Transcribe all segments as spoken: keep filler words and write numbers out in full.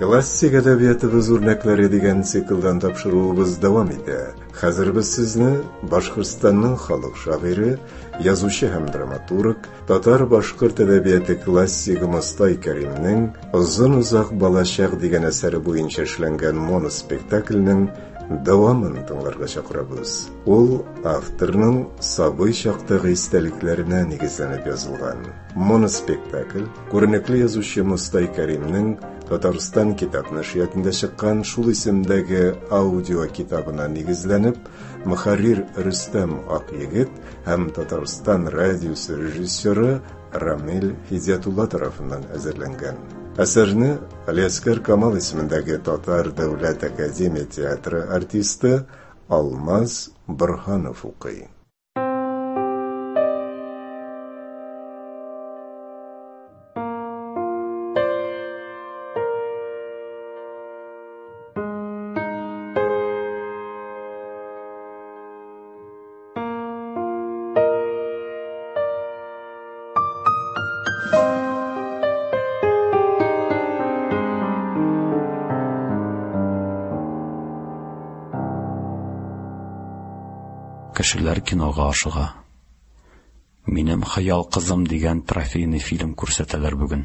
Классик әдәбиятыбыз үрнәкләре дигән циклдан тапшыруыбыз дәвам итә. Хәзер без сезне Башкортстанның халык шагыйре, язучы һәм драматург, татар-башкорт әдәбияты классигы Мостай Кәримнең «Озын-озак балачак» дигән әсәре буенча эшләнгән моноспектакльнең дәвамын тыңларга чакырабыз. Ул авторның сабый чактагы истәлекләренә нигезләнеп язылган. Моноспектакль күренекле язучы Мостай Кәримнең Татарстан китап нәшриятында чыккан шул исемдәге аудио китабына нигезләнеп, мөхәррир Рөстәм Акъегет һәм Татарстан радиосы режиссеры Рамил Һидиятулла тарафыннан әзерләнгән. Әсәрне Алиәскәр Камал исемендәге Татар дәүләт академия театры артисты Алмаз Борһанов укый. Кешеләр кинога ашыга. Минем хыял кызым дигән трофейный фильм күрсәтәләр бүген.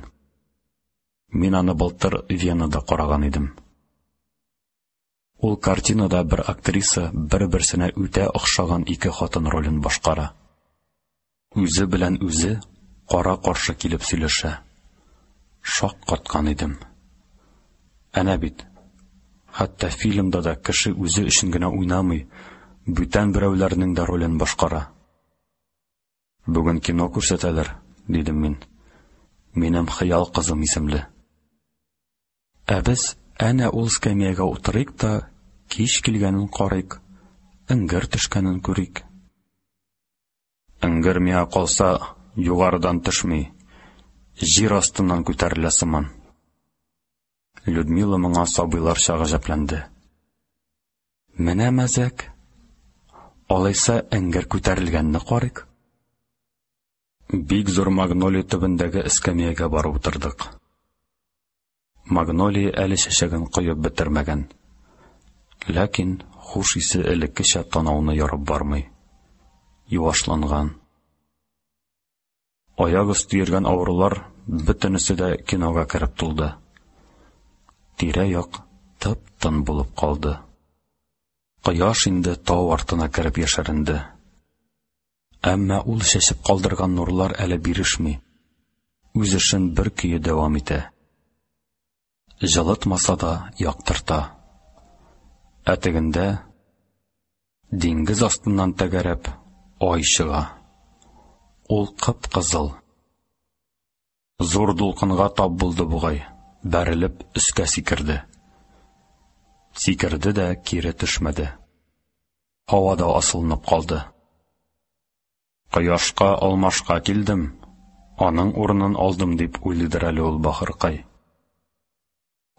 Мин аны былтыр Венада караган идем. Ул картинада бер актриса бер-берсенә үтә охшаган ике хатын ролен башкара. Үзе белән үзе кара-каршы килеп сөйләшә. Шаккаткан идем. Әнә бит. Хәтта фильмда да кеше үзе өчен генә уйнамый, бүтән берәүләрнең дә ролен башкара. Бүген кино күрсәтәләр, дидем мин. Минем хыял кызым исемле. Ә без әнә ул эскәмиягә утырыйк та, кич килгәнен карыйк, эңгер төшкәнен күрик. Эңгер миңа калса, югарыдан төшми, җир астыннан күтәрелә сыман. Людмила моңа сабыйларча гаҗәпләнде. Менә мәзәк. Алайса эңгер күтәрелгәнне карыйк. Бик зур магнолия төбендәге эскәмиягә барып утырдык. Магнолия әле чәчәген коеп бетермәгән. Ләкин хуш исе элеккечә танауны ярып бармый. Юашланган. Аяк өсте йөргән авырулар бөтенесе дә кинога кереп тулды. Тирә-як тып-тын булып калды. Кояш инде тау артына кереп яшеренде. Әмма ул чәчеп калдырган нурлар әле бирешми. Үз эшен бер көе дәвам итә. Җылытмаса да яктырта. Ә тегендә диңгез астыннан тәгәрәп ай чыга. Ул кып-кызыл. Зур дулкынга тап булды бугай, бәрелеп өскә сикерде. Сикерде дә кире төшмәде. Һавада асылынып калды. Кояшка алмашка килдем, аның урынын алдым дип уйлыйдыр әле ул бахыркай.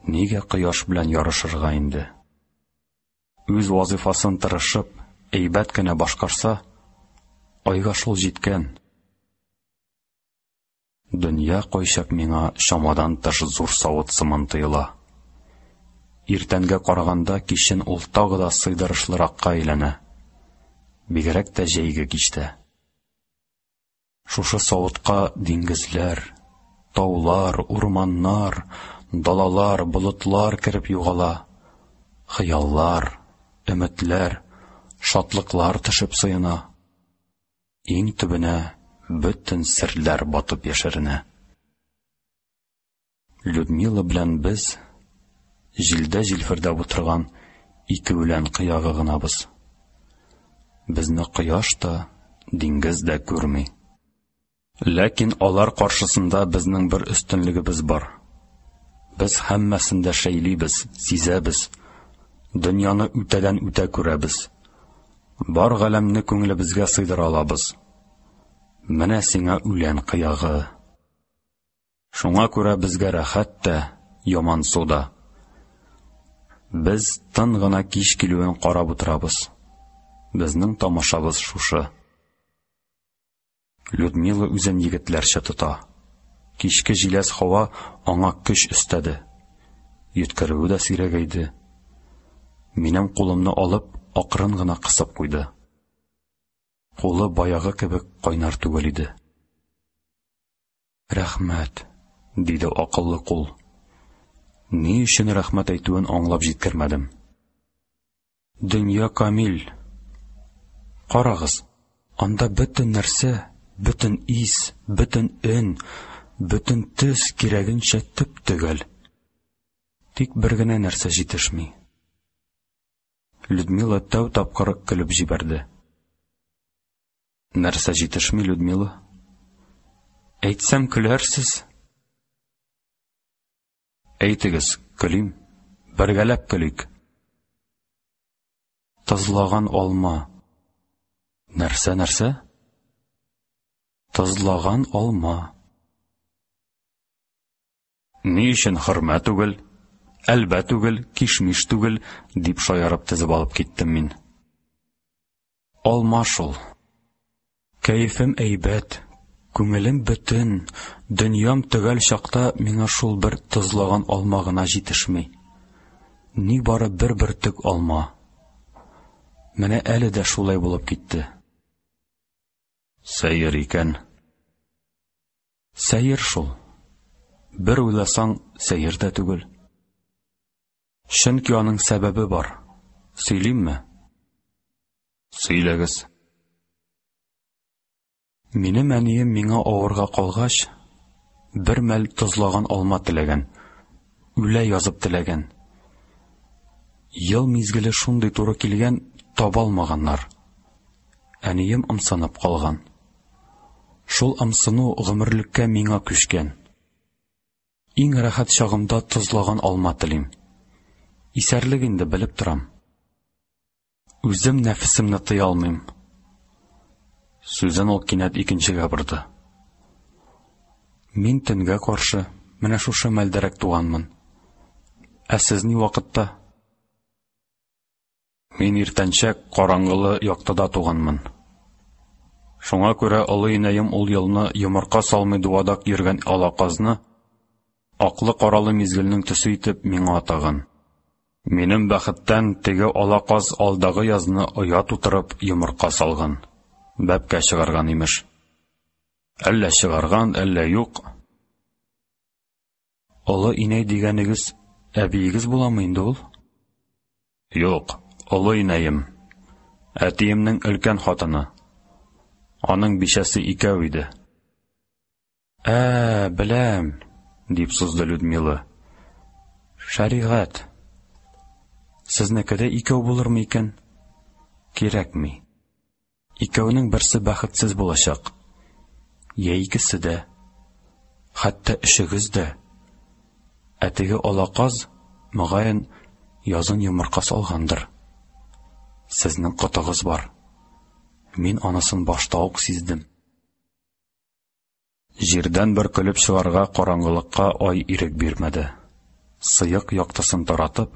Нигә кояш белән ярышырга инде? Үз вазифасын тырышып, әйбәт кенә башкарса, айга шул җиткән. Дөнья кайчак миңа чамадан тыш зур савыт сыман тоела. Иртәнгә караганда кичен ул тагы да сыйдырышлыракка әйләнә. Бигрәк тә җәйге кичтә. Шушы савытка диңгезләр, таулар, урманнар, далалар, болытлар кереп югала. Хыяллар, өметләр, шатлыклар төшеп сыена. Иң төбенә бөтен серләр батып яшеренә. Людмила белән без җилдә җилфердәп утырган ике үлән кыягы гынабыз. Безне кояш та, диңгез дә күрми. Ләкин алар каршысында безнең бер өстенлегебез бар. Без һәммәсен дә шәйлибез, сизәбез. Дөньяны үтәдән үтә күрәбез. Бар галәмне күңелебезгә сыйдыра алабыз. Менә сиңа үлән кыягы. Шуңа күрә безгә рәхәт тә, ямансу да. Без тын гына кич килүен карап утырабыз. Безнең тамашабыз шушы. Людмила үзен егетләрчә тота. Кичке җиләс һава аңа көч өстәде. Йөткерүе дә сирәгәйде. Минем кулымны алып, акрын гына кысып куйды. Кулы баягы кебек кайнар түгел иде. Рәхмәт, диде акыллы кул. Ни өчен рәхмәт әйтүен аңлап җиткермәдем. Дөнья камил. Карагыз, анда бөтен нәрсә, бөтен ис, бөтен өн, бөтен төс кирәгенчә төп-төгәл. Тик бер генә нәрсә җитешми. Людмила тәү тапкыр көлеп җибәрде. Нәрсә җитешми, Людмила? Әйтсәм, көләрсез. Әйтегез, көлим. Бергәләп көлик. Тозлаган алма. Нәрсә, нәрсә? Тозлаган алма. Ни өчен хөрмә түгел, әлбә түгел, кишмиш түгел, дип шаярып тезеп алып киттем мин. Алма шул. Кәефем әйбәт, күңелем бөтен, дөньям төгәл чакта миңа шул бер тозлаган алма гына җитешми. Ни бары бер бөртек алма. Менә әле дә шулай булып китте. Сәер икән. Сәер шул. Бер уйласаң, сәер дә түгел. Чөнки аның сәбәбе бар. Сөйлимме? Сөйләгез. Минем әнием миңа авырга калгач, бер мәл тозлаган алма теләгән, үлә язып теләгән. Ел мизгеле шундый туры килгән, таба алмаганнар. Әнием ымсынып калган. Шул ымсыну гомерлеккә миңа күчкән. Иң рәхәт чагымда тозлаган алма телим. Исәрлек инде, белеп торам. Үзем нәфесемне тыя алмыйм. Сүзен ул кинәт икенчегә борды. Мин төнгә каршы, менә шушы мәлдәрәк туганмын. Ә сез ни вакытта? Мин иртәнчәк караңгылы яктыда туганмын. Шуңа күрә олы инәем ул елны йомырка салмый дуадак йөргән ала казны аклы-каралы мизгелнең төсе итеп миңа атаган. Минем бәхеттән теге ала каз алдагы язны оя тутырып йомырка салган. Бәбкә чыгарган имеш. Әллә чыгарган, әллә юк. Олы инәй дигәнегез әбиегез буламы инде ул? Юк, олы инәем. Әтиемнең өлкән хатыны. Аның бичәсе икәү иде. Ә, беләм, дип сузды Людмила. Шәригать. Сезнеке дә икәү булырмы икән? Кирәкми. Икәүнең берсе бәхетсез булачак. Я икесе дә. Хәтта өчегез дә. Ә теге ала каз, мөгаен, язын йомырка салгандыр. Сезнең котыгыз бар. Мин анысын башта ук сиздем. Җирдән бер көлеп чыгарга караңгылыкка ай ирек бирмәде. Сыек яктысын таратып,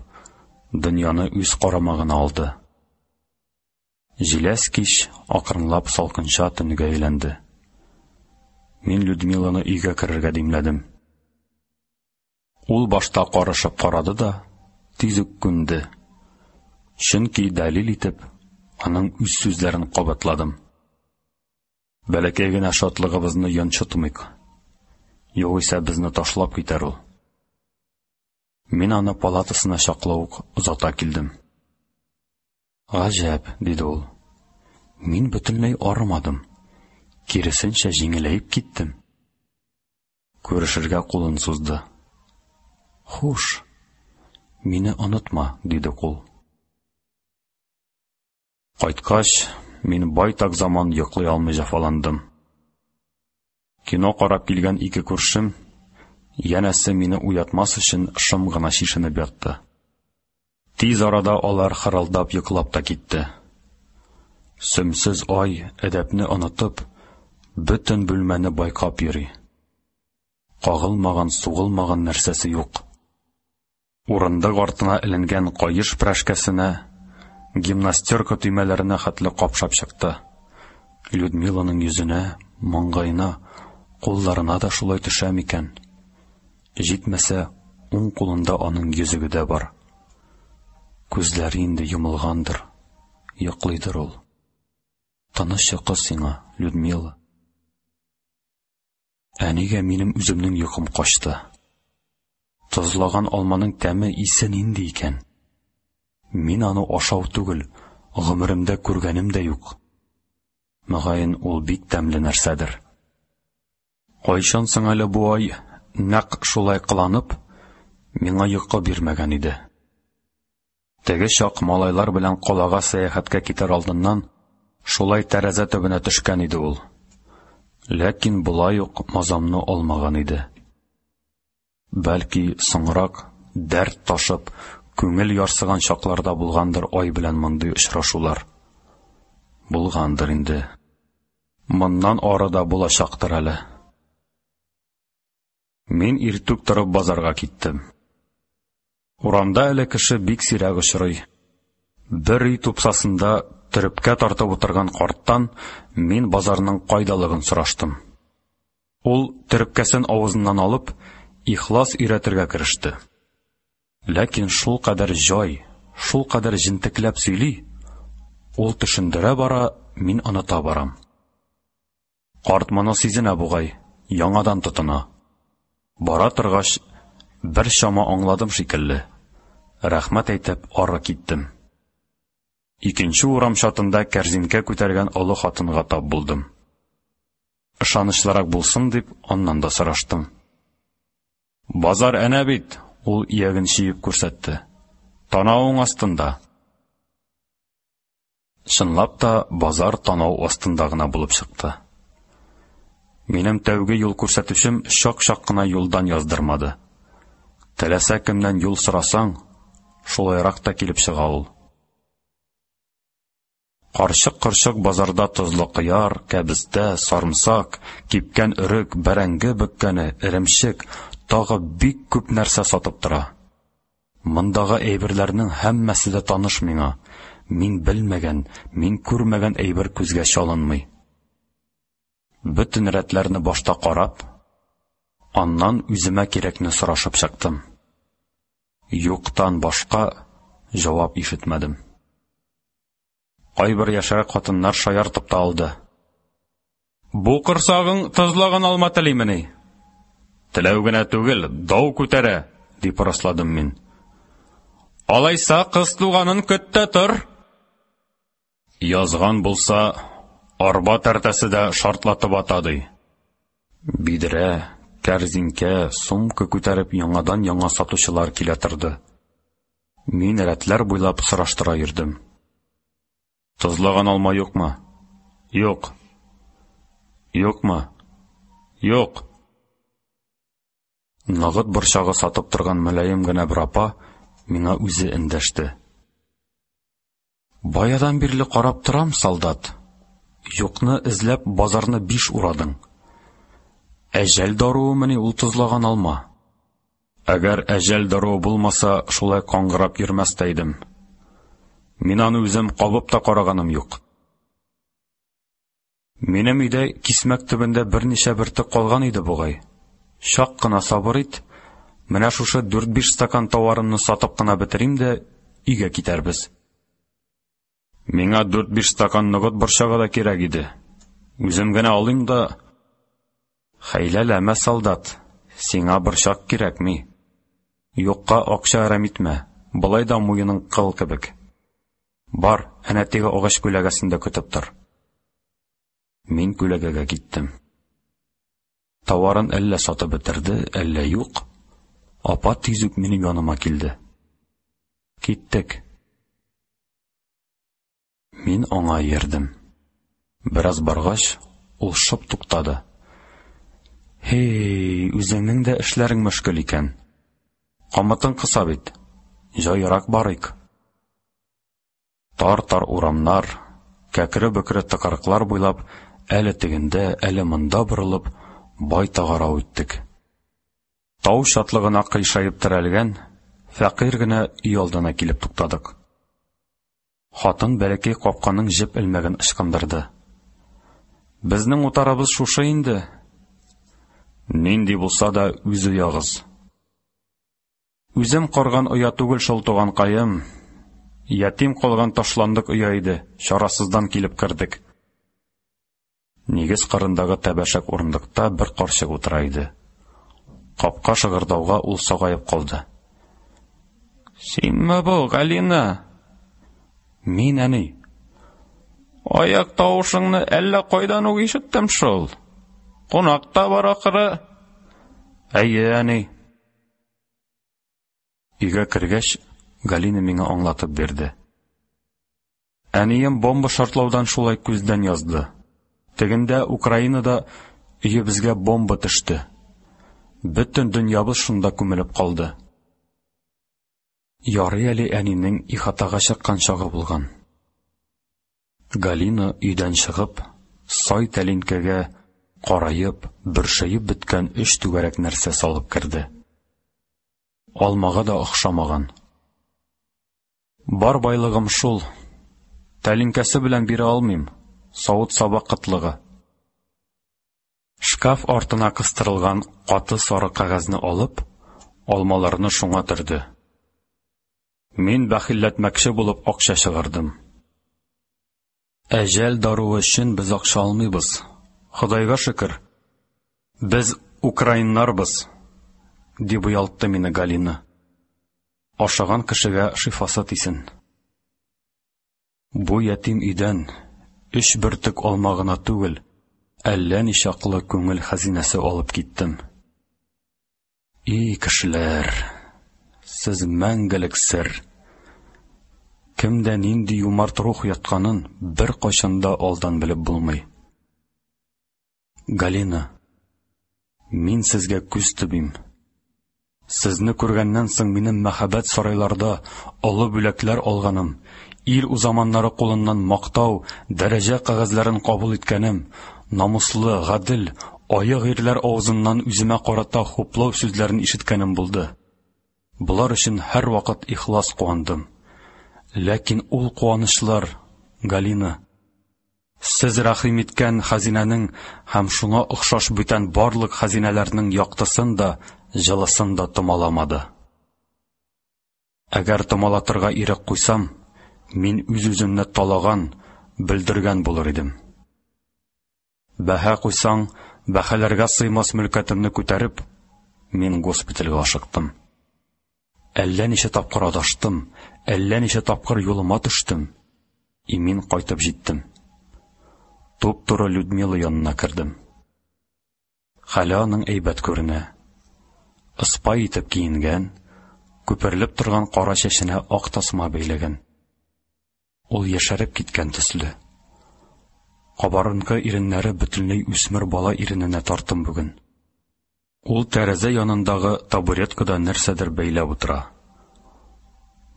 дөньяны үз карамагына алды. Җиләс кич акрынлап салкынча төнгә әйләнде. Мин Людмиланы өйгә керергә димләдем. Ул башта карышып карады да, тиз үк күнде. Чөнки дәлил итеп, аның үз сүзләрен кабатладым. Бәләкәй генә шатлыгыбызны йончытмыйк. Югыйсә безне ташлап китәр ул. Мин аны палатасына чаклы ук озата килдем. Гаҗәп, диде ул. Мин бөтенләй арымадым. Киресенчә җиңеләеп киттем. Күрешергә кулын сузды. Хуш, мине онытма, диде кул. Кайткач, мин байтак заман йоклый алмый җәфаландым. Кино карап килгән ике күршем, янәсе мине уятмас өчен шым гына чишенеп ятты. Тиз арада алар хырылдап йоклап та китте. Сөмсез ай, әдәпне онытып, бөтен бүлмәне байкап йөри. Кагылмаган, сугылмаган нәрсәсе юк. Урындык артына эленгән каеш прәшкәсенә, гимнастерка төймәләренә хәтле капшап чыкты. Людмиланың йөзенә, маңгаена, кулларына да шулай төшә микән? Җитмәсә, уң кулында аның йөзеге дә бар. Күзләре инде йомылгандыр, йоклыйдыр ул. Тыныч йокы сиңа, Людмила. Ә нигә минем үземнең йокым качты? Тозлаган алманың тәме, исе нинди икән? Мин аны ашау түгел, гомеремдә күргәнем дә юк. Мөгаен, ул бик тәмле нәрсәдер. Кайчан соң әле бу ай нәкъ шулай кыланып, миңа йокы бирмәгән иде? Теге чак малайлар белән калага сәяхәткә китәр алдыннан шулай тәрәзә төбенә төшкән иде ул. Ләкин болай ук мазамны алмаган иде. Бәлки, соңрак, дәрт ташып, күңел ярсыган чакларда булгандыр ай белән мондый очрашулар. Булгандыр инде. Моннан ары да булачактыр әле. Мин иртүк торып базарга киттем. Урамда әле кеше бик сирәк очрый. Бер өй тупсасында төрепкә тартып утырган карттан мин базарның кайдалыгын сораштым. Ул төрепкәсен авызыннан алып, ихлас өйрәтергә кереште. Ләкин шул кадәр җай, шул кадәр җентекләп сөйли, ул төшендерә бара, мин оныта барам. Карт моны сизенә бугай, яңадан тотына. Бара торгач, бер чама аңладым шикелле. Рәхмәт әйтеп, ары киттем. Икенче урам чатында кәрзинкә күтәргән олы хатынга тап булдым. Ышанычлырак булсын дип, аннан да сораштым. Базар әнә бит, ул ияген чөеп күрсәтте. Танавың астында. Чынлап та базар танау астында гына булып чыкты. Минем тәүге юл күрсәтүчем чак-чак кына юлдан яздырмады. Теләсә кемнән юл сорасаң, шулайрак та килеп чыга ул. Карчык-корчык базарда тозлы кыяр, кәбестә, сарымсак, кипкән өрек, бәрәңге бөккәне, эремчек, тагы бик күп нәрсә сатып тора. Мондагы әйберләрнең һәммәсе дә таныш миңа. Мин белмәгән, мин күрмәгән әйбер күзгә чалынмый. Бөтен рәтләрне башта карап, аннан үземә кирәкне сорашып чыктым. Юктан башка җавап ишетмәдем. Кайбер яшьрәк хатыннар шаяртып та алды. Бу корсагың тозлаган алма телимени? Теләү генә түгел, дау күтәрә, дип расладым мин. Алайса кыз туганын көт тә тор. Язган булса, арба тәртәсе дә шартлатып ата, ди. Бидрә, кәрзинкә, сумка күтәреп яңадан яңа сатучылар килә торды. Мин рәтләр буйлап сораштыра йөрдем. Тозлаган алма юкмы? Юк. Юкмы? Юк. Ногыт борчагы сатып торган мөлаем генә бер апа миңа үзе эндәште. Баядан бирле карап торам, солдат. Юкны эзләп базарны биш урадың. Әҗәл даруымыни ул тозлаган алма? Әгәр әҗәл даруы булмаса, шулай каңгырап йөрмәс тә идем. Мин аны үзем кабып та караганым юк. Минем өйдә кисмәк төбендә берничә бөртек калган иде бугай. Чак кына сабыр ит, менә шушы дүрт-биш стакан товарымны сатып кына бетерим дә өйгә китәрбез. Миңа дүрт-биш стакан ногыт борчагы да кирәк иде. Үзем генә алыйм да. Хәйләләмә, солдат, сиңа борчак кирәкми. Юкка акча әрәм итмә, болай да муеның кыл кебек. Бар, әнә теге агач күләгәсендә көтеп тор. Мин күләгәгә киттем. Товарын әллә сатып бетерде, әллә юк. Апа тиз үк минем яныма килде. Киттек. Мин аңа иярдем. Бераз баргач, ул шып туктады. Һей, үзеңнең дә эшләрең мөшкел икән. Камытың кыса бит. Җайрак барыйк. Тар-тар урамнар, кәкре-бөкре тыкрыклар буйлап, әле тегендә, әле монда борылып, байтак ара үттек. Тау чатлыгына кыйшаеп терәлгән фәкыйрь генә өй алдына килеп туктадык. Хатын бәләкәй капканың җеп элмәген ычкындырды. Безнең утарыбыз шушы инде. Нинди булса да үз оягыз. Үзем корган оя түгел шул, туганкаем. Ятим калган ташландык оя иде, чарасыздан килеп кердек. Нигез кырындагы тәбәшәк урындыкта бер карчык утыра иде. Капка шыгырдауга ул сагаеп калды. Синме бу, Галина? Мин, әни. Аяк тавышыңны әллә кайдан ук ишеттем шул. Кунак та бар ахыры. Әйе, әни. Өйгә кергәч, Галина миңа аңлатып бирде. Әнием бомба шартлаудан шулай күздән язды. Тегендә Украинада өебезгә бомба төште. Бөтен дөньябыз шунда күмелеп калды. Ярый әле әнинең ихатага чыккан чагы булган. Галина өйдән чыгып, сай тәлинкәгә караеп, бөршәеп беткән өч түгәрәк нәрсә салып керде. Алмага да охшамаган. Бар байлыгым шул. Тәлинкәсе белән бирә алмыйм. Савыт-саба кытлыгы. Шкаф артына кыстырылган каты сары кәгазьне алып, алмаларны шуңа төрде. Мин бәхилләтмәкче булып акча чыгардым. Әҗәл даруы өчен без акча алмыйбыз. Ходайга шөкер. Без украиннарбыз, дип оялтты мине Галина. Ашаган кешегә шифасы тисен. Бу ятим өйдән өч бөртек алма гына түгел, әллә ничаклы күңел хәзинәсе алып киттем. И кешеләр, сез мәңгелек сер. Кемдә нинди юмарт рух ятканын бер кайчан да алдан белеп булмый. Галина, мин сезгә күз төбим. Сезне күргәннән соң минем мәхәббәт сарайларда олы бүләкләр алганым, ил узаманнары кулыннан мактау, дәрәҗә кәгазьләрен кабул иткәнем, намуслы, гадел, аек ирләр авызыннан үземә карата хуплау сүзләрен ишеткәнем булды. Болар өчен һәрвакыт ихлас куандым. Ләкин ул куанычлар, Галина, сез рәхим иткән хәзинәнең һәм шуңа охшаш бүтән барлык хәзинәләрнең яктысын да, җылысын да томаламады. Әгәр томалатырга ирек куйсам, мин үз-үземне талаган, бөлдергән булыр идем. Бәһа куйсаң, бәһаләргә сыймас мөлкәтемне күтәреп, мин госпитальгә ашыктым. Әллә ничә тапкыр адаштым, әллә ничә тапкыр юлыма төштем. Имин кайтып җиттем. Туп-туры Людмила янына кердем. Хәле аның әйбәт күренә. Ыспай итеп киенгән, күперелеп торган кара чәченә ак тасма бәйләгән. Ул яшәреп киткән төсле. Кабарынкы иреннәре бөтенләй үсмер бала ирененә тартым бүген. Ул тәрәзә янындагы табуреткада нәрсәдер бәйләп утыра.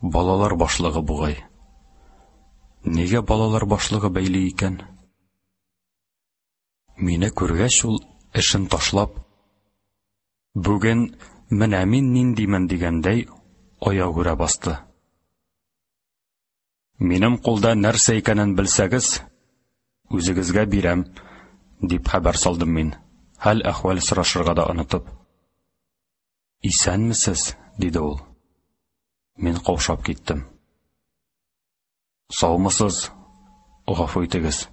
Балалар башлыгы бугай. Нигә балалар башлыгы бәйли икән? Мине күргәч, ул эшен ташлап, бүген менә мин ниндимен дигәндәй, аягүрә басты. Минем кулда нәрсә икәнен белсәгез, үзегезгә бирәм, дип хәбәр салдым мин, хәл әхвәл сорашырга да онытып. Исәнмесез, диде ул. Мин каушап киттем. Саумысыз, гафу итегез.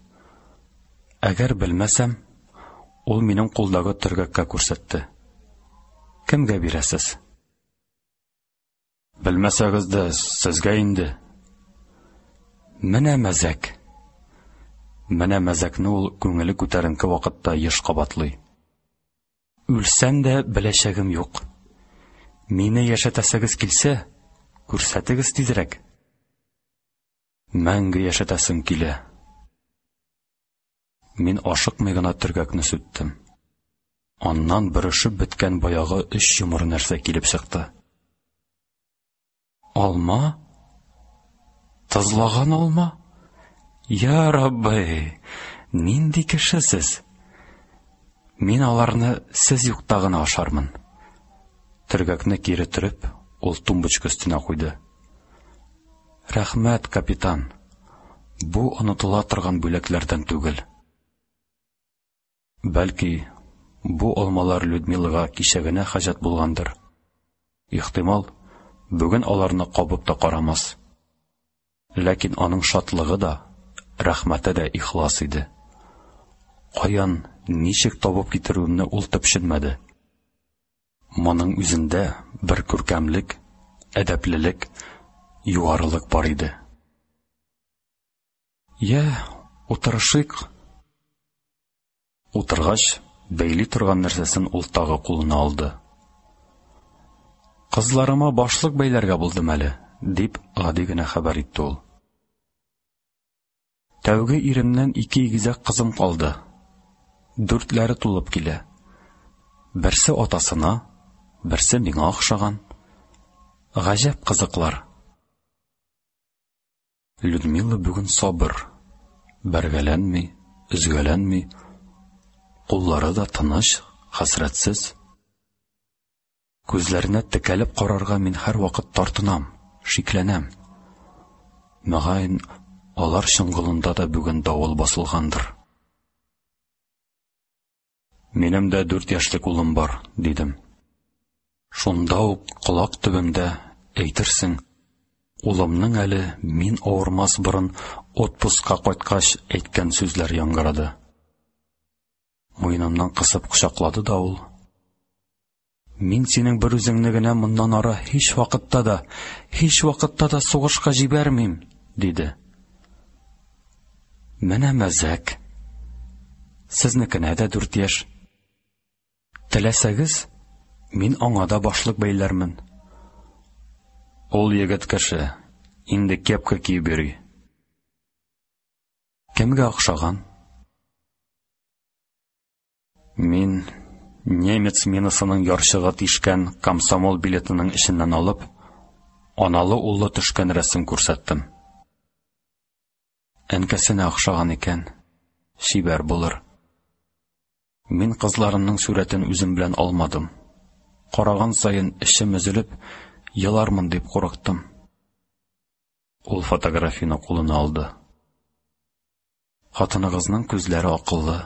Әгәр белмәсәм, ул минем кулдагы төргәккә күрсәтте. Кемгә бирәсез? Белмәсәгез дә, сезгә инде. Менә мәзәк. Менә мәзәкне ул күңеле күтәренке вакытта еш кабатлый. Үлсәм дә беләчәгем юк. Мине яшәтәсегез килсә, күрсәтегез тизрәк. Мәңге яшәтәсем килә. Мин ашыкмый гына төргәкне сүттем. Аннан бөрешеп беткән баягы өч йомры нәрсә килеп чыкты. Алма? Тозлаган алма? Я Рабби, нинди кеше сез? Мин аларны сез юкта гына ашармын. Төргәкне кире төреп, ул тумбочка өстенә куйды. Рәхмәт, капитан. Бу онытыла торган бүләкләрдән түгел. Бәлки, бу алмалар Людмилага кичә генә хаҗәт булгандыр. Ихтимал, Бүген аларны кабып та карамас. Ләкин аның шатлыгы да, рәхмәте дә ихлас иде. Каян, ничек табып китерүемне ул төпченмәде. Моның үзендә бер күркәмлек, әдәплелек, югарылык бар иде. Йә, утырышыйк. Утыргач, бәйли торган нәрсәсен ул тагы кулына алды. Кызларыма башлык бәйләргә булдым әле, дип гади генә хәбәр итте ул. Тәүге иремнән ике игезәк кызым калды. Дүртләре тулып килә. Берсе атасына, берсе миңа охшаган. Гаҗәп кызыклар. Людмила бүген сабыр, бәргәләнми, өзгәләнми, куллары да тыныч, хәсрәтсез. Күзләренә текәлеп карарга мин һәрвакыт тартынам, шикләнәм. Мөгаен, алар чоңгылында да бүген давыл басылгандыр. Минем дә дүрт яшьлек улым бар, дидем. Шунда ук колак төбемдә, әйтерсең, улымның әле мин авырмас борын отпускка кайткач әйткән сүзләр яңгырады. Муенымнан кысып кочаклады да ул: Мин синең бер үзеңне генә моннан ары һич вакытта да, һич вакытта да сугышка җибәрмим, диде. Менә мәзәк. Сезнекенә дә дүрт яшь. Теләсәгез, мин аңа да башлык бәйләрмен. Ул егет кеше, инде кепка киеп йөри. Кемгә охшаган? Мин немец минасының ярчыгы тишкән комсомол билетының эченнән алып, аналы-уллы төшкән рәсем күрсәттем. Әнкәсенә охшаган икән, чибәр булыр. Мин кызларымның сурәтен үзем белән алмадым. Караган саен эчем өзелеп, елармын дип курыктым. Ул фотографияне кулына алды. Хатыныгызның күзләре акыллы.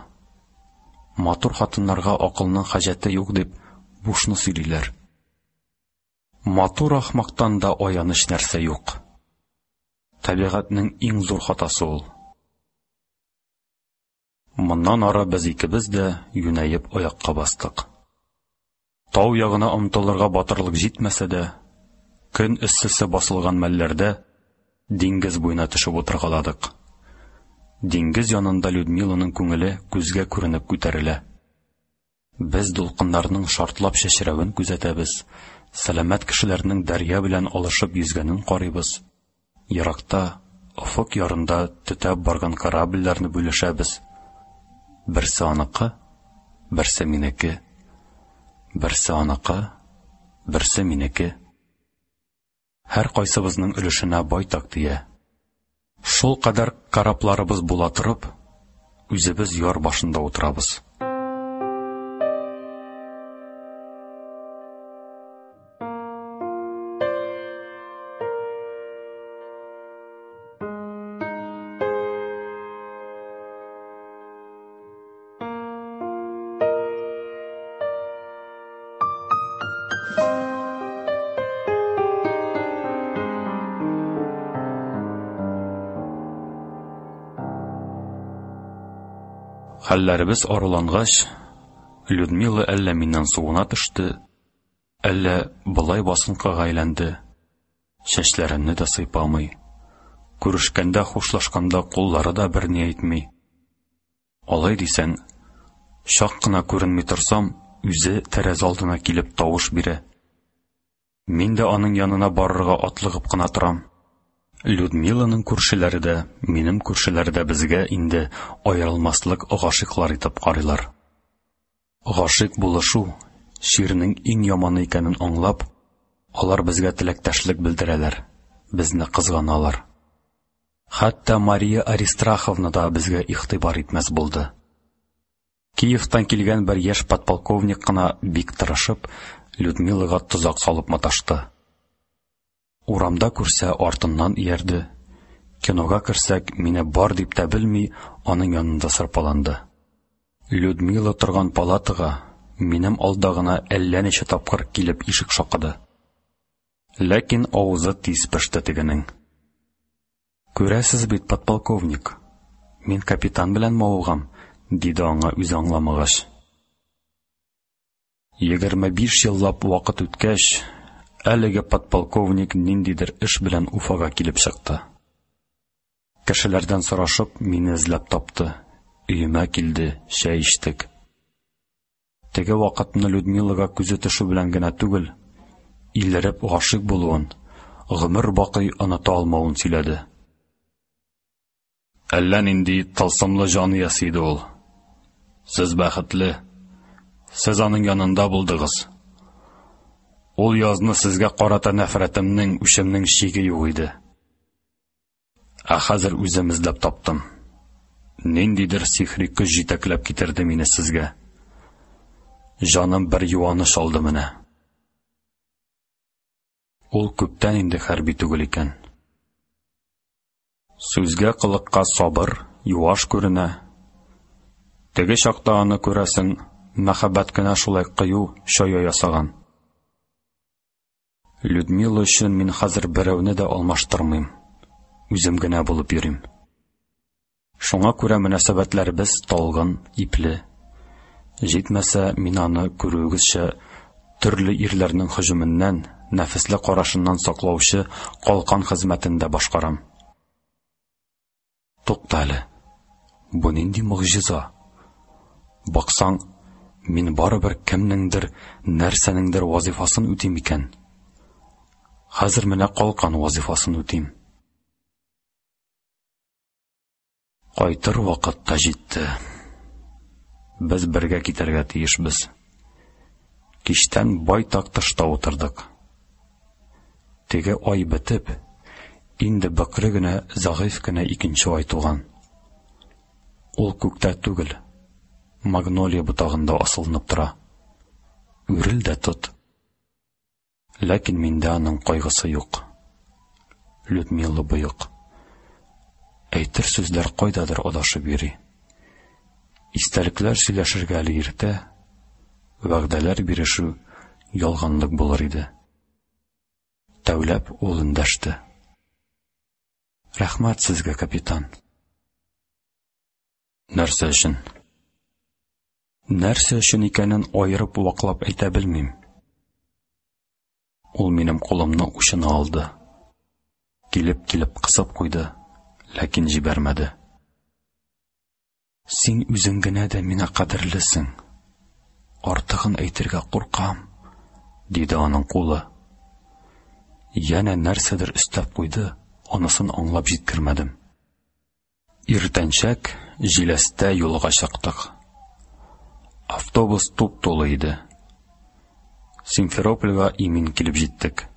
Матур хатыннарга акылның хаҗәте юк дип бушны сөйлиләр. Матур ахмактан да аяныч нәрсә юк. Табигатьнең иң зур хатасы ул. Моннан ары без икебез дә юнәеп аякка бастык. Тау ягына омтылырга батырлык җитмәсә дә, көн эссесе басылган мәлләрдә диңгез буена төшеп утыргаладык. Диңгез янында Людмиланың күңеле күзгә күренеп күтәрелә. Без дулкыннарның шартлап чәчрәвен күзәтәбез, сәламәт кешеләрнең дәрья белән алышып йөзгәнен карыйбыз. Еракта, офык ярында төтәп барган корабльләрне бүлешәбез. Берсе аныкы, берсе минеке. Берсе аныкы, берсе минеке. Һәр кайсыбызның өлешенә байтак тия. Шул кадәр корабларыбыз була торып, үзебез яр башында утырабыз. Хәлләребез арулангач, Людмила әллә миннән суына төште, әллә болай басынкыга әйләнде. Чәчләремне дә сыйпамый. Күрешкәндә, хушлашканда куллары да берни әйтми. Алай дисәң, чак кына күренми торсам, үзе тәрәзә алдына килеп тавыш бирә. Мин дә аның янына барырга атлыгып кына торам. Людмиланың күршеләре дә, минем күршеләр дә безгә инде аерылмаслык гашыйклар итеп карыйлар. Гашыйк булышу чирнең иң яманы икәнен аңлап, алар безгә теләктәшлек белдерәләр, безне кызганалар. Хәтта Мария Аристарховна да безгә игътибар итмәс булды. Киевтан килгән бер яшь подполковник кына бик тырышып, Людмилага тозак салып маташты. Урамда күрсә, артыннан иярде. Кинога керсәк, мине бар дип тә белми, аның янында сырпаланды. Людмила торган палатага минем алда гына әллә ничә тапкыр килеп ишек шакыды. Ләкин авызы тиз пеште тегенең. Күрәсез бит, подполковник, мин капитан белән мавыгам, диде аңа үзе аңламагач. Егерме биш еллап вакыт үткәч, әлеге подполковник ниндидер эш белән Уфага килеп чыкты. Кешеләрдән сорашып, мине эзләп тапты. Өемә килде, чәй эчтек. Теге вакытны Людмилага күзе төшү белән генә түгел, илереп гашыйк булуын, гомер бакый оныта алмавын сөйләде. Әллә нинди тылсымлы җан иясе иде ул. Сез бәхетле. Сез аның янында булдыгыз. Ул язны сезгә карата нәфрәтемнең, үчемнең чиге юк иде. Ә хәзер үзем эзләп таптым. Ниндидер сихри көч җитәкләп китерде мине сезгә. Җаным бер юаныч алды менә. Ул күптән инде хәрби түгел икән. Сүзгә кылыкка сабыр, юаш күренә. Теге чакта аны күрәсең, мәхәббәт кенә шулай кыю, чая ясаган. Людмила өчен мин хәзер берәүне дә алмаштырмыйм. Үзем генә булып йөрим. Шуңа күрә мөнәсәбәтләребез талгын, ипле. Җитмәсә, мин аны, күрүегезчә, төрле ирләрнең һөҗүменнән, нәфесле карашыннан саклаучы калкан хезмәтен дә башкарам. Тукта әле. Бу нинди могҗиза? Баксаң, мин барыбер кемнеңдер, нәрсәнеңдер вазифасын үтим икән. Хәзер менә калкан вазифасын үтим. Кайтыр вакыт та җитте. Без бергә китәргә тиешбез. Кичтән байтак тышта утырдык. Теге ай бетеп, инде бөкре генә, зәгыйфь кенә икенче ай туган. Ул күктә түгел, магнолия ботагында асылынып тора. Үрел дә тот. Ләкин миндә аның кайгысы юк. Людмила боек. Әйтер сүзләр кайдадыр адашып йөри. Истәлекләр сөйләшергә әле иртә, вәгъдәләр бирешү ялганлык булыр иде. Тәүләп ул эндәште. Рәхмәт сезгә, капитан. Нәрсә өчен? Нәрсә өчен икәнен аерып ваклап әйтә белмим. Ул минем кулымны учына алды. Килеп-килеп кысып куйды, ләкин җибәрмәде. Син үзең генә дә миңа кадерлесең. Артыгын әйтергә куркам, диде аның кулы. Янә нәрсәдер өстәп куйды, анысын аңлап җиткермәдем. Иртәнчәк җиләстә юлга чыктык. Автобус туп-тулы иде. Симферопольгә имин килеп җиттек.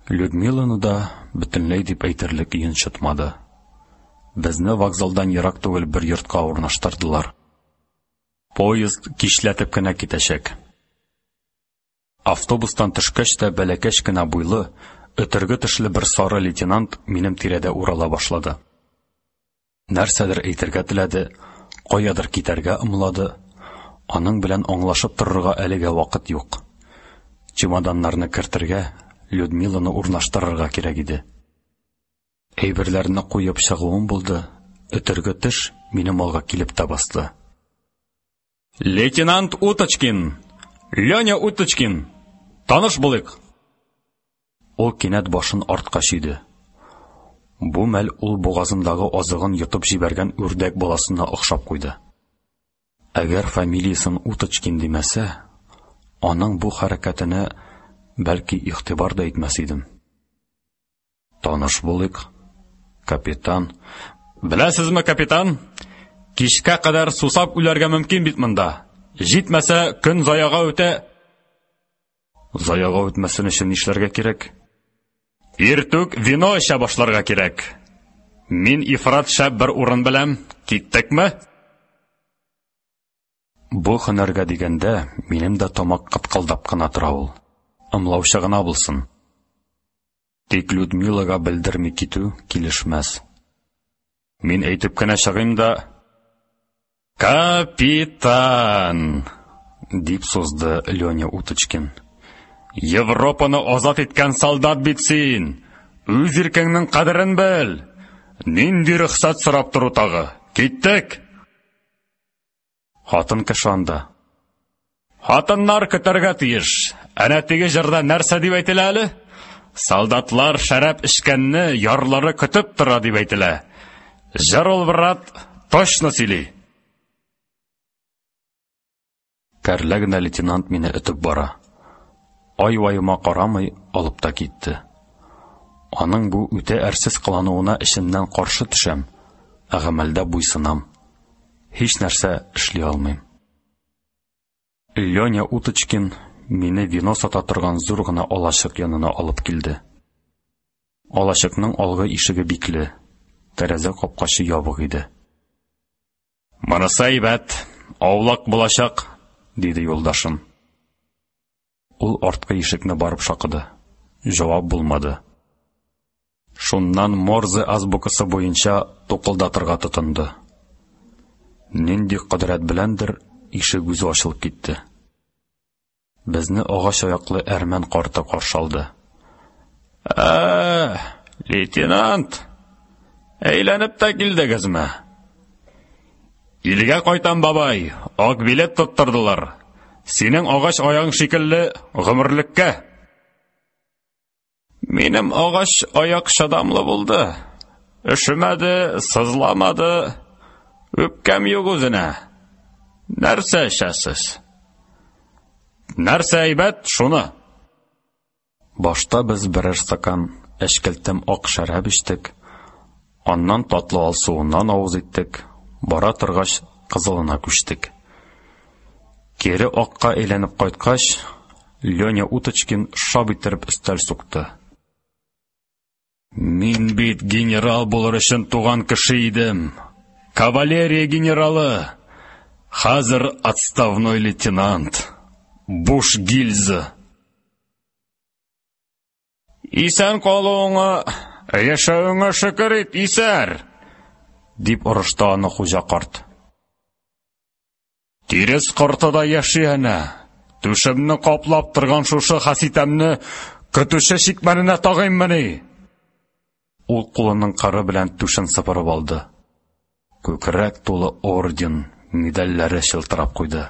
Людмиланы да бөтенләй дип әйтерлек йончытмады. Безне вокзалдан ерак түгел бер йортка урнаштырдылар. Поезд кичләтеп кенә китәчәк. Автобустан төшкәч тә бәләкәч кенә буйлы, өтерге тешле бер сары лейтенант минем тирәдә урала башлады. Нәрсәдер әйтергә теләде, каядыр китәргә ымлады. Аның белән аңлашып торырга әлегә вакыт юк. Чемоданнарны кертергә, Людмиланы урнаштырырга кирәк иде. Әйберләрне куеп чыгуым булды, өтерге теш минем алга килеп тә басты. Лейтенант Уточкин! Леня Уточкин! Таныш булыйк! Ул кинәт башын артка чөйде. Бу мәл ул бугазындагы азыгын йотып җибәргән үрдәк баласына охшап куйды. Әгәр фамилиясын Уточкин димәсә, аның бу хәрәкәтенә бәлки игътибар да итмәс идем. Таныш булыйк, капитан. Беләсезме, капитан? Кичкә кадәр сусап үләргә мөмкин бит монда. Җитмәсә, көн заяга үтә. Заяга үтмәсен өчен нишләргә кирәк? Иртүк вино эчә башларга кирәк. Мин ифрат шәп бер урын беләм. Киттекме? Бу һөнәргә дигәндә, минем дә тамак кыткылдап кына тора ул. Ымлаучы гына булсын. Тик Людмилага белдерми китү килешмәс. Мин әйтеп кенә чыгыйм да, Капитан! Дип сузды Леня Уточкин. Европаны азат иткән солдат бит син! Үз иркеңнең кадерен бел! Нинди рөхсәт сорап тору тагы? Киттек! Хатын кеше анда. Хатыннар көтәргә тиеш. Әнә теге җырда нәрсә дип әйтелә әле? Солдатлар шәраб эчкәнне ярлары көтеп тора дип әйтелә. Җыр ул, брат, точно сөйли. Кәрлә генә лейтенант мине өтеп бара. Ай-ваема карамый алып та китте. Аның бу үтә әрсез кылануына эчемнән каршы төшәм, ә гамәлдә буйсынам. Һич нәрсә эшли алмыйм. Леня Уточкин мине вино сата торган зур гына алачык янына алып килде. Алачыкның алгы ишеге бикле, тәрәзә капкачы ябык иде. Монысы әйбәт, аулак булачак, диде юлдашым. Ул арткы ишекне барып шакыды. Җавап булмады. Шуннан Морзе азбукасы буенча тукылдатырга тотынды. Нинди кодрәт беләндер ишек үзе ачылып китте. Безне агач аяклы әрмән карты каршы алды. Ә, лейтенант, әйләнеп тә килдегезме? Илгә кайтам, бабай, ак билет тоттырдылар. Синең агач аяң шикелле гомерлеккә. Минем агач аяк чыдамлы булды. Өшемәде, сызламады. Үпкәм юк үзенә. Нәрсә эчәсез? Нәрсә әйбәт, шуны. Башта без берәр стакан әчкелтем ак шәраб эчтек. Аннан татлы алсуыннан авыз иттек. Бара торгач, кызылына күчтек. Кире акка әйләнеп кайткач, Леня Уточкин шап иттереп өстәл сукты. Мин бит генерал булыр өчен туган кеше идем. Кавалерия генералы. Хәзер отставной лейтенант. Буш гильза. Исән калуыңа, яшәвеңә шөкер ит, исәр, дип орышты аны хуҗа карт. Тирес корты да яши әнә. Түшемне каплап торган шушы хаситәмне көтүче чикмәненә тагыйммыни? Ул кулының кыры белән түшен сыпырып алды. Күкрәк тулы орден, медальләре чылтырап куйды.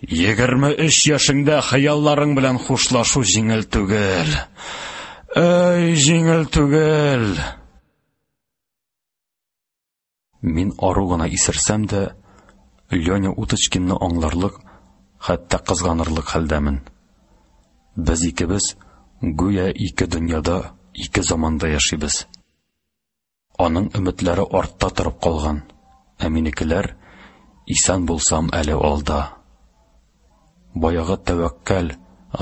Егерме өч яшеңдә хыялларың белән хушлашу җиңел түгел. Эй, җиңел түгел. Мин ару гына исерсәм дә, Леня Уточкинны аңларлык, хәтта кызганырлык хәлдәмен. Без икебез гүя ике дөньяда, ике заманда яшибез. Аның өметләре артта торып калган, ә минекеләр исән булсам әле алда. Баягы тәвәккәл,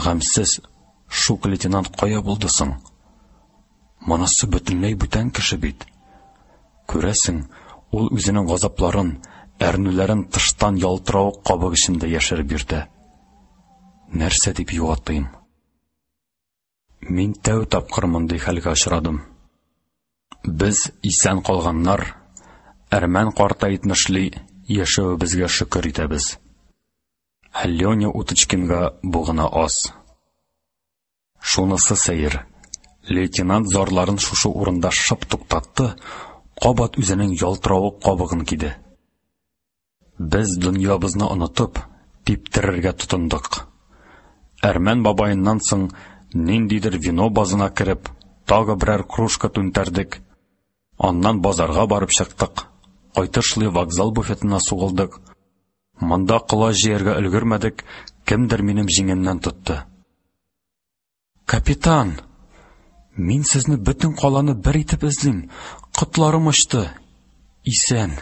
гамьсез шук лейтенант кая булды соң? Монысы бөтенләй бүтән кеше бит. Күрәсең, ул үзенең газапларын, әрнүләрен тыштан ялтыравык кабык эчендә яшереп йөртә. Нәрсә дип юатыйм? Мин тәү тапкыр мондый хәлгә очрадым. Без исән калганнар, әрмән карта әйтмешли, яшәвебезгә шөкер итәбез. Ә Леня Уточкинга бу гына аз. Шунысы сәер. Лейтенант зарларын шушы урында шып туктатты, кабат үзенең ялтыравык кабыгын киде. Без дөньябызны онытып, типтерергә тотындык. Әрмән бабаеннан соң ниндидер вино базына кереп, тагы берәр кружка түнтәрдек. Аннан базарга барып чыктык. Кайтышлый вокзал буфетына сугылдык. Монда колач җыярга өлгермәдек, кемдер минем җиңемнән тотты. Капитан, мин сезне бөтен каланы бер итеп эзлим. Котларым очты. Исән,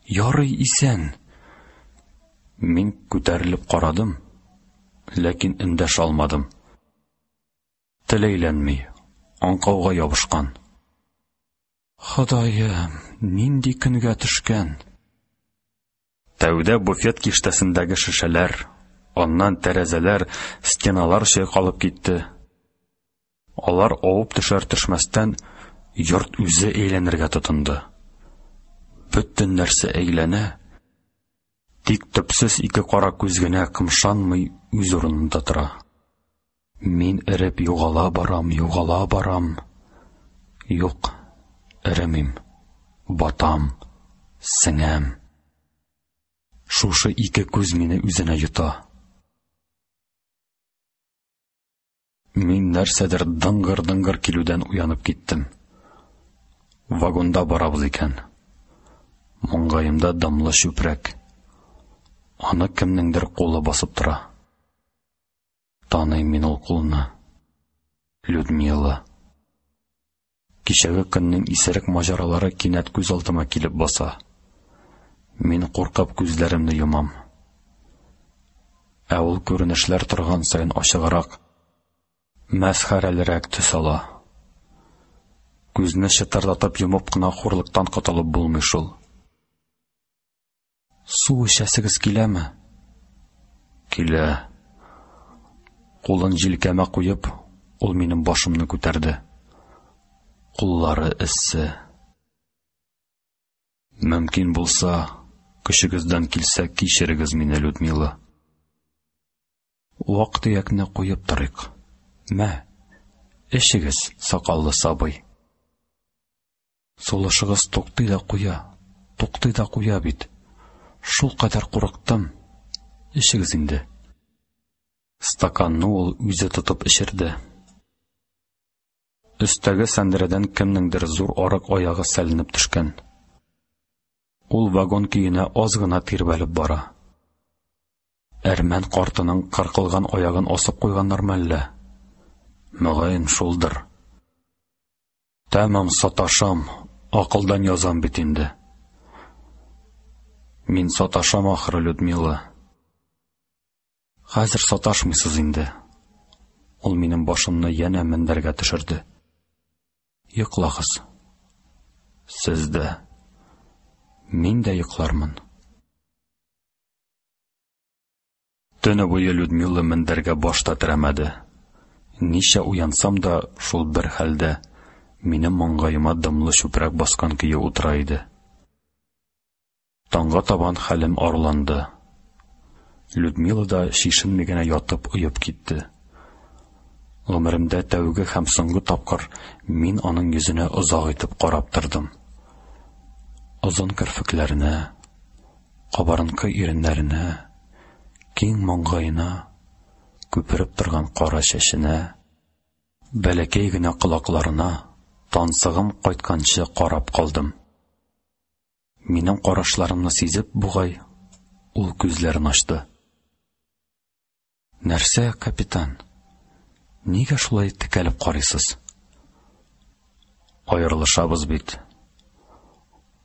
ярый исән. Мин күтәрелеп карадым, ләкин эндәшә алмадым. Тел әйләнми, аңкауга ябышкан. Ходаем, нинди көнгә төшкән. Тәүдә буфет киштәсендәге шешәләр, аннан тәрәзәләр, стеналар чайкалып китте. Алар авып төшәр төшмәстән, йорт үзе әйләнергә тотынды. Бөтен нәрсә әйләнә, тик төпсез ике кара күз генә кымшанмый, үз урынында тора. Мин эреп югала барам, югала барам. Юк, эремим. Батам, сеңәм. Шушы ике күз мине үзенә йота. Мин нәрсәдер дыңгыр-дыңгыр килүдән уянып киттем. Вагонда барабыз икән. Маңгаемда дымлы чүпрәк. Аны кемнеңдер кулы басып тора. Таныйм мин ул кулны. Людмила. Кичәге көннең исерек маҗаралары кинәт күз алдыма килеп баса. Мин куркып күзләремне йомам. Ә ул күренешләр торган саен ачыграк, мәсхәрәлерәк төс ала. Күзне чытырдатып йомып кына хурлыктан котылып булмый шул. Су эчәсегез киләме? Килә. Кулын җилкәмә куеп, ул минем башымны күтәрде. Куллары эссе. Мөмкин булса, көчегездән килсә, кичерегез мине, Людмила. Вак-төякне куеп торыйк. Мә, эчегез, сакаллы сабый. Сулышыгыз туктый да куя, туктый да куя бит. Шулкадәр курыктым. Эчегез инде. Стаканны ул үзе тотып эчерде. Өстәге сәндерәдән кемнеңдер зур арык аягы сәленеп төшкән. Ул вагон көенә аз гына тирбәлеп бара. Әрмән картының кыркылган аягын асып куйганнармы әллә? Мөгаен шулдыр. Тәмам саташам, акылдан язам бит инде. Мин саташам ахры, Людмила. Хәзер саташмыйсыз инде. Ул минем башымны янә мендәргә төшерде. Йоклагыз. Сез дә. Мин дә йоклармын. Төне буе Людмила мендәргә баш та терәмәде. Ничә уянсам да, шул бер хәлдә, минем маңгаема дымлы чүпрәк баскан көе утыра иде. Таңга табан хәлем арланды. Людмила да чишенми генә ятып оеп китте. Гомеремдә тәүге һәм соңгы тапкыр мин аның йөзенә озак итеп карап тордым. Озын керфекләренә, кабарынкы иреннәренә, киң маңгаена, күпереп торган кара чәченә, бәләкәй генә колакларына тансыгым кайтканчы карап калдым. Минем карашларымны сизеп бугай, ул күзләрен ачты. Нәрсә, капитан? Нигә шулай текәлеп карыйсыз? Аерылышабыз бит.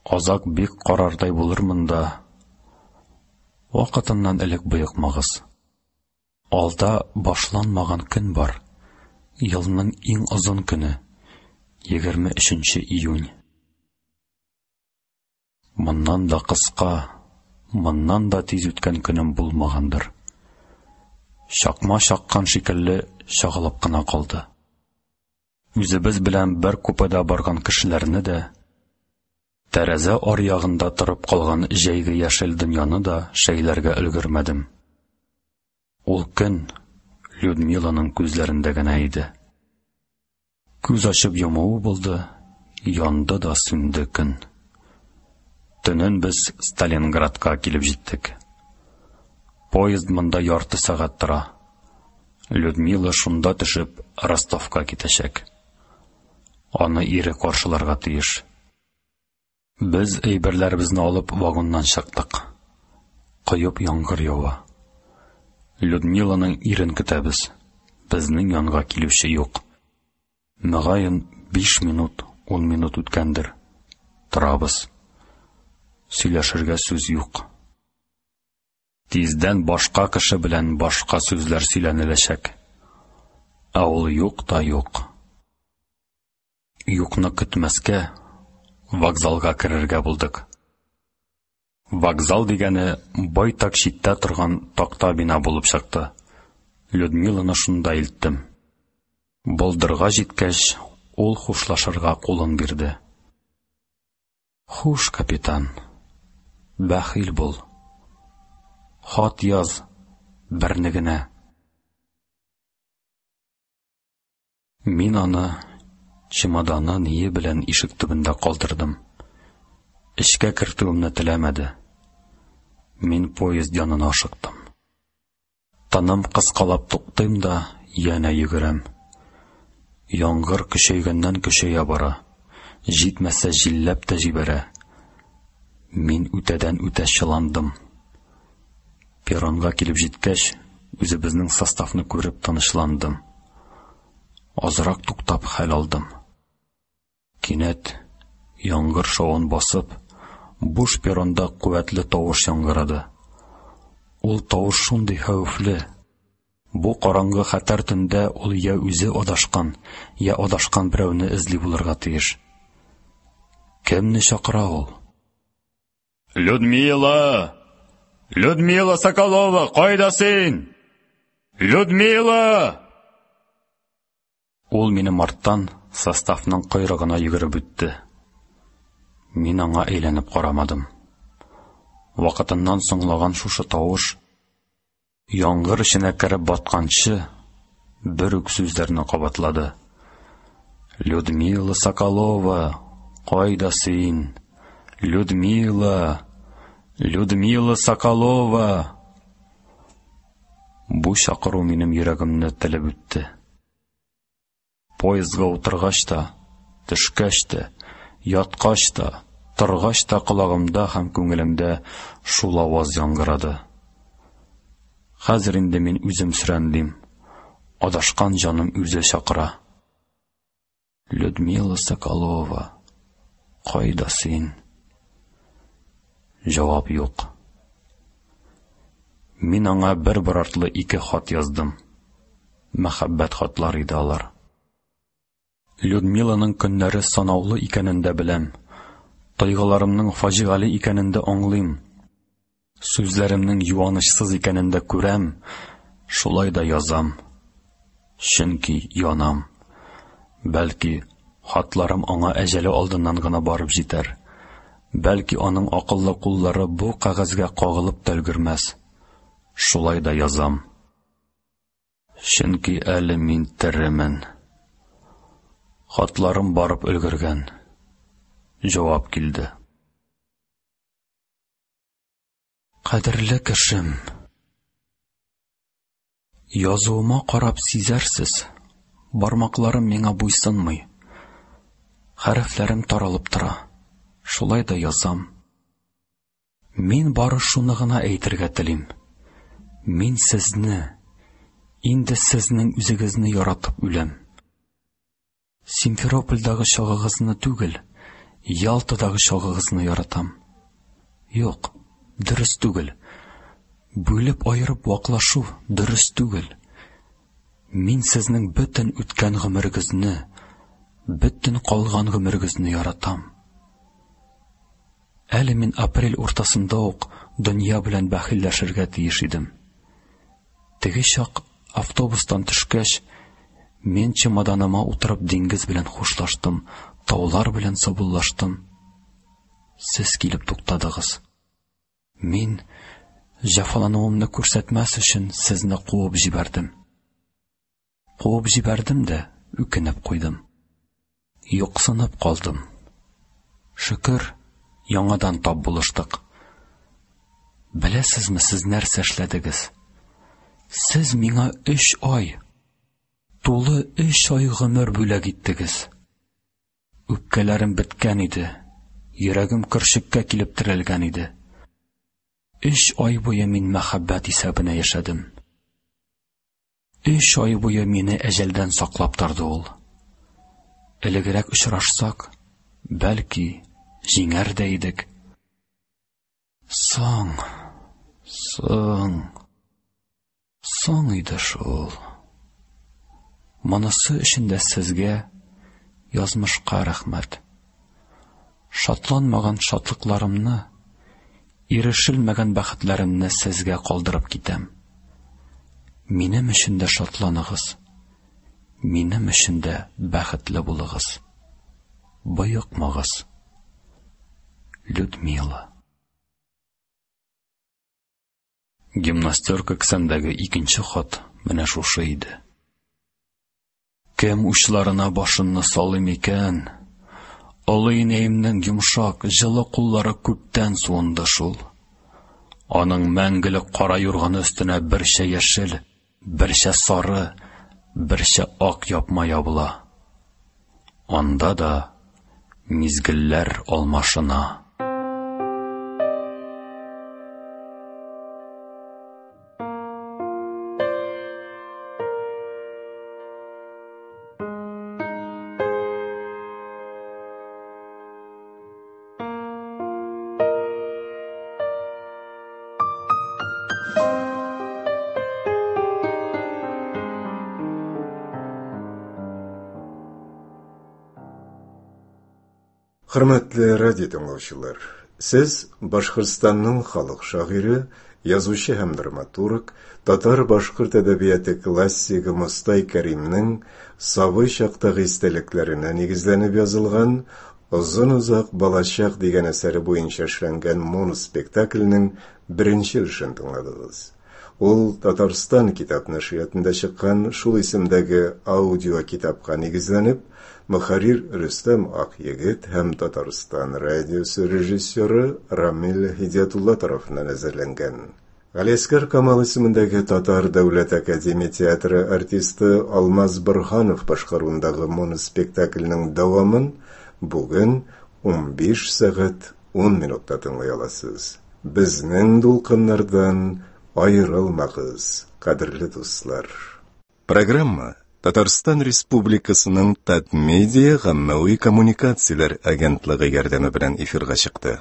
Азак бик карардай булырмын да. Вакытыннан элек боекмагыз. Алда башланмаган көн бар. Елның иң озын көне, егерме өченче июнь. Моннан да кыска, моннан да тиз үткән көнем булмагандыр. Чакма чаккан шикелле чагылып кына калды. Үзебез белән бер купеда барган кешеләрне дә, тәрәзә аръягында торып калган җәйге яшел дөньяны да шәйләргә өлгермәдем. Ул көн Людмиланың күзләрендә генә иде. Күз ачып йомуы булды, янды да сүнде көн. Төнен без Сталинградка килеп җиттек. Поезд монда ярты сәгать тора. Людмила шунда төшеп Ростовка китәчәк. Аны ире каршыларга тиеш. Без әйберләребезне алып вагоннан чыктык. Коеп яңгыр ява. Людмиланың ирен көтәбез. Безнең янга килүче юк. Мөгаен биш минут, ун минут үткәндер. Торабыз. Сөйләшергә сүз юк. Тиздән башка кеше белән башка сүзләр сөйләнеләчәк. Ә ул юк та юк. Юкны көтмәскә, вокзалга керергә булдык. Вокзал дигәне байтак читтә торган такта бина булып чыкты. Людмиланы шунда илттем. Болдырга җиткәч, ул хушлашырга кулын бирде. Хуш, капитан. Бәхил бул. Хат яз, берне генә. Мин аны чемоданы ние белән ишек төбендә калдырдым. Эчкә кертүемне теләмәде. Мин поезд янына ашыктым. Тыным кыскалап туктыйм да янә йөгерәм. Яңгыр көчәйгәннән көчәя бара. Җитмәсә җилләп тә җибәрә. Мин үтәдән үтә чыландым. Перронга килеп җиткәч, үзебезнең составны күреп тынычландым. Азрак туктап хәл алдым. Кинәт яңгыр шавын басып, буш перронда куәтле тавыш яңгырады. Ул тавыш шундый хәвефле. Бу караңгы хәтәр төндә ул я үзе адашкан, я адашкан берәүне эзли булырга тиеш. Кемне чакыра ул? Людмила! Людмила Соколова, кайда син? Людмила! Ул минем арттан составның койрыгына йөгереп үтте. Мин аңа әйләнеп карамадым. Вакытыннан соңлаган шушы тавыш яңгыр эченә кереп батканчы бер үк сүзләрне кабатлады. Людмила Соколова, кайда син? Людмила! Людмила Соколова! Бу чакыру минем йөрәгемне телеп үтте. Поездга утыргач та, төшкәч тә, яткач та, торгач та колагымда һәм күңелемдә шул аваз яңгырады. Хәзер инде мин үзем сөрәнлим. Адашкан җаным үзе чакыра. Людмила Соколова, кайда син? Җавап юк. Мин аңа бер-бер артлы ике хат яздым. Мәхәббәт хатлар иде алар. Людмиланың көннәре санаулы икәнен дә беләм. Тойгыларымның фаҗигале икәнен дә аңлыйм. Сүзләремнең юанычсыз икәнен дә күрәм. Шулай да язам. Чөнки янам. Бәлки, хатларым аңа әҗәле алдыннан гына барып җитәр. Бәлки, аның акыллы куллары бу кәгазьгә кагылып та өлгермәс. Шулай да язам. Чөнки әле мин теремен. Хатларым барып өлгергән. Җавап килде. Кадерле кешем, язуыма карап сизәрсез, бармакларым миңа буйсынмый. Хәрефләрем таралып тора. Шулай да язам. Мин бары шуны гына әйтергә телим. Мин сезне, инде сезнең үзегезне яратып үләм. Симферопольдагы чагыгызны түгел, Ялтадагы чагыгызны яратам. Юк, дөрес түгел. Бүлеп аерып ваклашу дөрес түгел. Мин сезнең бөтен үткән гомерегезне, бөтен калган гомерегезне яратам. Әле мин апрель уртасында ук дөнья белән бәхилләшергә тиеш идем. Теге чак автобустан төшкәч, мин чемоданыма утырып диңгез белән хушлаштым, таулар белән саубуллаштым. Сез килеп туктадыгыз. Мин җәфалануымны күрсәтмәс өчен сезне куып җибәрдем. Куып җибәрдем дә үкенеп куйдым. Юксынып калдым. Шөкер, яңадан тап булыштык. Беләсезме, сез нәрсә эшләдегез? Сез миңа өч ай, тулы өч ай гомер бүләк иттегез. Үпкәләрем беткән иде, йөрәгем көршеккә килеп терәлгән иде. Өч ай буе мин мәхәббәт исәбенә яшәдем. Өч ай буе мине әҗәлдән саклап торды ул. Элегрәк очрашсак, бәлки, җиңәр дә идек. Соң, соң, соң иде шул. Монысы өчен дә сезгә, язмышка рәхмәт. Шатланмаган шатлыкларымны, ирешелмәгән бәхетләремне сезгә калдырып китәм. Минем өчен дә шатланыгыз, минем өчен дә бәхетле булыгыз. Боекмагыз. Людмила. Гимнастерка кесәмдәге икенче хат менә шушы иде. Кем учларына башымны салыйм икән? Олы инәемнең йомшак, җылы куллары күптән суынды шул. Аның мәңгелек кара юрганы өстенә берчә яшел, берчә сары, берчә ак япма ябыла. Анда да мизгелләр алмашына. Хөрмәтле радио тыңлаучылар, сез Башкортстанның халык шагыйре, язучы һәм драматург, татар-башкорт әдәбияты классигы Мостай Кәримнең сабый чактагы истәлекләренә нигезләнеп язылган Озын-озак балачак дигән әсәре буенча эшләнгән моноспектакльнең беренче өлешен тыңладыгыз. Ул Татарстан китап нәшриятында чыккан шул исемдәге аудио китапка нигезләнеп, мөхәррир Рөстәм Акъегет һәм Татарстан радиосы режиссеры Рамил Һидиятулла тарафыннан әзерләнгән. Галиәсгар Камал исемендәге Татар дәүләт академия театры артисты Алмаз Борһанов башкаруындагы моноспектакльнең дәвамын бүген унбиш сәгать ун минутта тыңлый аласыз. Безнең дулкыннардан аерылмагыз, кадерле дуслар. Программа Татарстан Республикасының Татмедиа гаммәви коммуникацияләр агентлыгы ярдәме белән эфирга чыкты.